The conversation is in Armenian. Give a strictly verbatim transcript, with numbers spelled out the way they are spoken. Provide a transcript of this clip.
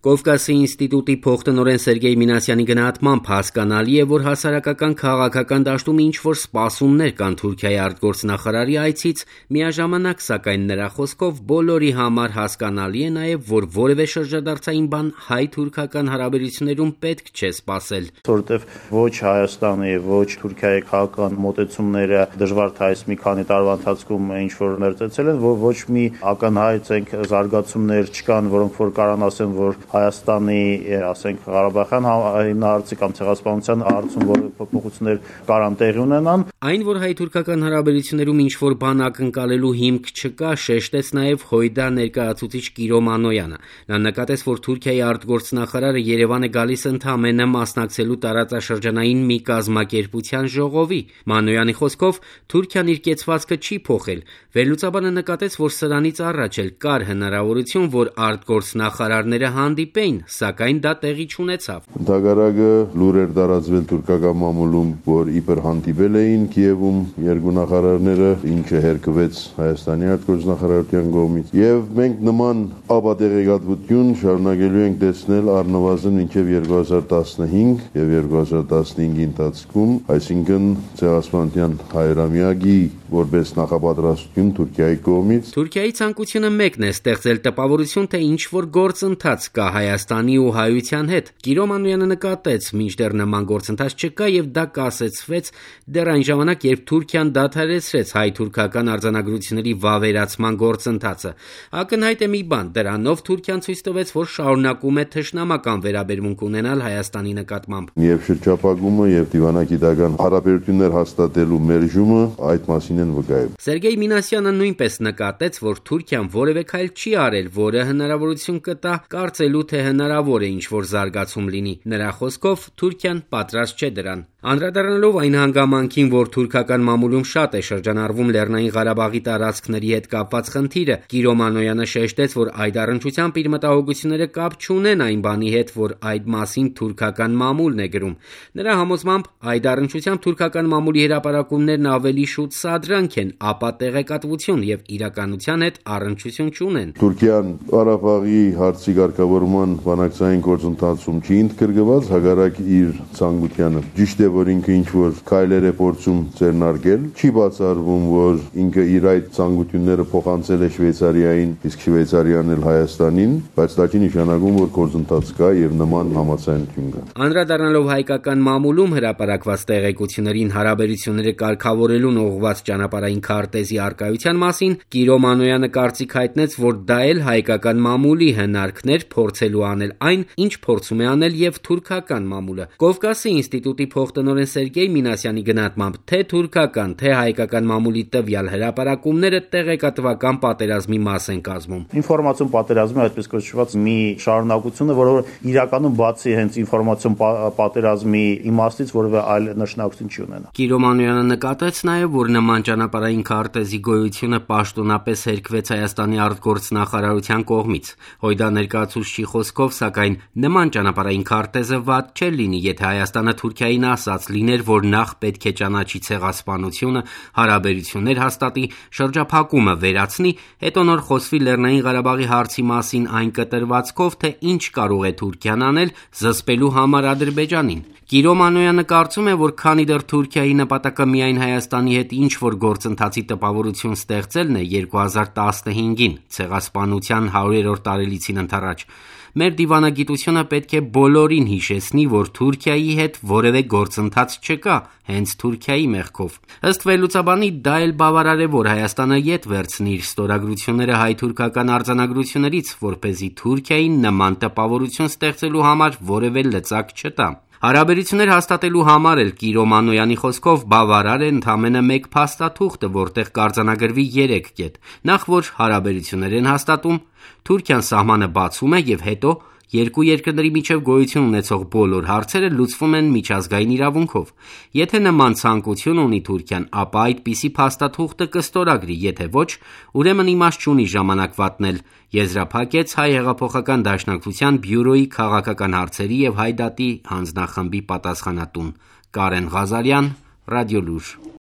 Կովկասի ինստիտուտի փոխտնօրեն Սերգեյ Մինասյանի գնահատմամբ հասկանալի է, որ հասարակական քաղաքական դաշտում ինչ-որ սպասումներ կան Թուրքիայի արտգործնախարարի այցից, միաժամանակ, սակայն նրա խոսքով բոլորի համար հասկանալի է նաև, որ որևէ շրջադարձային բան հայ-թուրքական հարաբերություններում պետք չէ սպասել։ Որովհետև ոչ Հայաստանի, ոչ Թուրքիայի քաղաքական մոտեցումները դժվար թե այս մի քանի տարվա ընթացքում ինչ-որ ներծեցել են, ոչ մի ակնհայտ զարգացումներ չկան, որոնք որ կարան ասեն, որ Հայաստանի, ասենք, Ղարաբաղյան հիմնահարցի կամ ցեղասպանության հարցում որևէ փոփոխություններ կարան տեղի ունենան։ Այն, որ հայ-թուրքական հարաբերություններում ինչ-որ բան ակնկալելու հիմք չկա, շեշտեց նաև Հույդա ներկայացուցիչ Կիրո Մանոյանը։ Նա նկատեց, որ Թուրքիայի արտգործնախարարը Երևան է գալիս ընդամենը մասնակցելու տարածաշրջանային մի կազմակերպության ժողովի։ Մանոյանի խոսքով Թուրքիան իր կեցվածքը չի փոխել։ Վերլուծաբանը նկատեց, որ սրանից առաջ էլ կար հնարավորություն, որ արտգործնախարարները հանդիպեին, սակայն դա տեղի չունեցավ։ Ընդհակառակը լուր էր տարածվել թուրքական մամուլում, որ իբր հանդիպել էին Կիևում երկու նախարարները, ինչը հերկվեց Հայաստանի արտգործնախարարության կողմից, եւ մենք նման ապատեղեկատվություն շարունակելու ենք տեսնել առնվազն մինչև երկու հազար տասնհինգ եւ երկու հազար տասնհինգի ընթացքում, այսինքն ցեղասպանության հայրամյակի որպես նախապատրաստություն Թուրքիայի կողմից։ Թուրքիայի ցանկությունը մեկն է ստեղծել տպավորություն, թե ինչ որ գործընթաց կա Հայաստանի ու հայության հետ։ Կիրո Մանոյանը նկատեց, մինչդեռ նման գործընթաց չկա եւ դա կասեցվեց դեռ այն ժամանակ, երբ Թուրքիան դադարեցրեց հայ-թուրքական արձանագրությունների վավերացման գործընթացը։ Ակնհայտ է մի բան, դրանով Թուրքիան ցույց տվեց, որ շարունակում է թշնամական վերաբերմունք ունենալ Հայաստանի նկատմամբ։ Եվ շրջափակումը եւ դիվանագիտական հարաբերություններ հաստատելու մերժումը այդ մասին են վկայում։ Սերգեյ Մինասյանը նույնպես նկատեց, որ Թուրքիան որևէ քայլ չի արել, որը հնարավորություն կտա կարծելու, թե հնարավոր է ինչ-որ զարգացում լինի։ Նրա խոսքով Թուրքիան պատրաստ չէ դրան։ Անդրադառնալով այն հանգամանքին, որ թուրքական մամուլում շատ է շրջանառվում Լեռնային Ղարաբաղի տարածքների հետ կապված խնդիրը, Կիրո Մանոյանը շեշտեց, որ այդ առնչությամբ իր մտահոգությունները կապ չունեն այն բանի հետ, որ այդ մասին թուրքական մամուլն է գրում։ Նրա համոզմամբ այդ առնչությամբ թուրքական մամուլի հրապարակումներն ավելի շուտ սադրանք են, ապա տեղեկատվություն եւ իրականության հետ առնչություն չունեն։ Թուրքիան Ղարաբաղի հարցի ղեկավարման բանակցային գործընթացում չի ընդգրկված, հակառակ իր ցանկությանը։ Ճիշտ է, որ ինքը ինչ-որ քայլեր է փորձում ձեռնարկել, չի բացառվում, որ ինքը իր այդ ցանկությունները փոխանցել է Շվեյցարիային, իսկ Շվեյցարիան էլ Հայաստանին, բայց դա չի նշանակում, որ գործընթաց կա եւ նման համաձայնություն կա։ Անդրադառնալով հայկական մամուլում հրապարակված տեղեկություններին հարաբերությունները կարգավորելուն ուղղված ճանապարհային քարտեզի արկայության մասին, Կիրո Մանոյանը կարծիք հայտնեց, որ դա էլ հայկական մամուլի հնարքներ փորձելու անել այն, ինչ փորձում է անել եւ թուրքական մամուլը։ Կովկասի ինստիտուտի փոխտնօրեն Սերգեյ Մինասյանի գնահատմամբ, թե թուրքական, թե հայկական մամուլի տվյալ հրապարակումները տեղեկատվական պատերազմի մաս են կազմում։ Ինֆորմացիոն պատերազմի այդպես կոչված մի շարունակությունը, որը իրականում բացի հենց ինֆորմացիոն պատերազմի իմաստից որևէ այլ նշանակություն չի ունենա։ Կիրո Մանոյանը նկատեց նաև, որ նման ճանապարհային քարտեզի գոյությունը պաշտոնապես հերկվեց Հայաստանի արտգործնախարարության կողմից։ Հույդա ներկայացուցչի խոսքով, սակայն նման ճանապարհային քարտեզը վատ չէ լինի, եթե Հայաստանը Թուրքիային ասած լիներ, որ նախ պետք է ճանաչի ցեղասպանությունը, հարաբերություններ հաստատի, շրջափակումը վերացնի, հետո նոր խոսվի Լեռնային Ղարաբաղի հարցի մասին այն կտրվածքով, թե ինչ կարող է Թուրքիան անել զսպելու համար Ադրբեջանին։ Կիրո Մանոյանը կարծում է, որ քանի դեռ Թուրքիայի նպատակը միայն Հայաստանի հետ ինչ-որ գործընթացի տպավորություն ստեղծելն է երկու հազար տասնհինգին, ցեղասպանության հարյուրերորդ տարելիցին ընդառաջ, մեր դիվանագիտությունը պետք է բոլորին հիշեցնի, որ Թուրքիայի հետ որևէ գործընթաց չկա, հենց Թուրքիայի մեղքով։ Ըստ վերլուծաբանի, դա էլ բավարար է, որ Հայաստանը ետ վերցնի իր ստորագրությունները հայ-թուրքական արձանագրություններից, որպեսզի Թուրքիային նման տպավորություն ստեղծելու համար որևէ լծակ չտա։ Հարաբերություններ հաստատելու համար էլ Կիրո Մանոյանի խոսքով բավարար է ընդամենը մեկ փաստաթուղթը, որտեղ կարձանագրվի երեք կետ։ Նախ որ հարաբերություններ են հաստատում, Թուրքիան սահմանը բացում է եւ հետո երկու երկրների միջև գոյություն ունեցող բոլոր հարցերը լուծվում են միջազգային իրավունքով։ Եթե նման ցանկություն ունի Թուրքիան, ապա այդպիսի փաստաթուղթը կստորագրի, եթե ոչ, ուրեմն իմաստ չունի ժամանակ վատնել, եզրափակեց Հայ հեղափոխական դաշնակցության բյուրոյի քաղաքական հարցերի եւ Հայ դատի հանձնախմբի պատասխանատուն Կարեն Ղազարյան, Ռադիոլուր։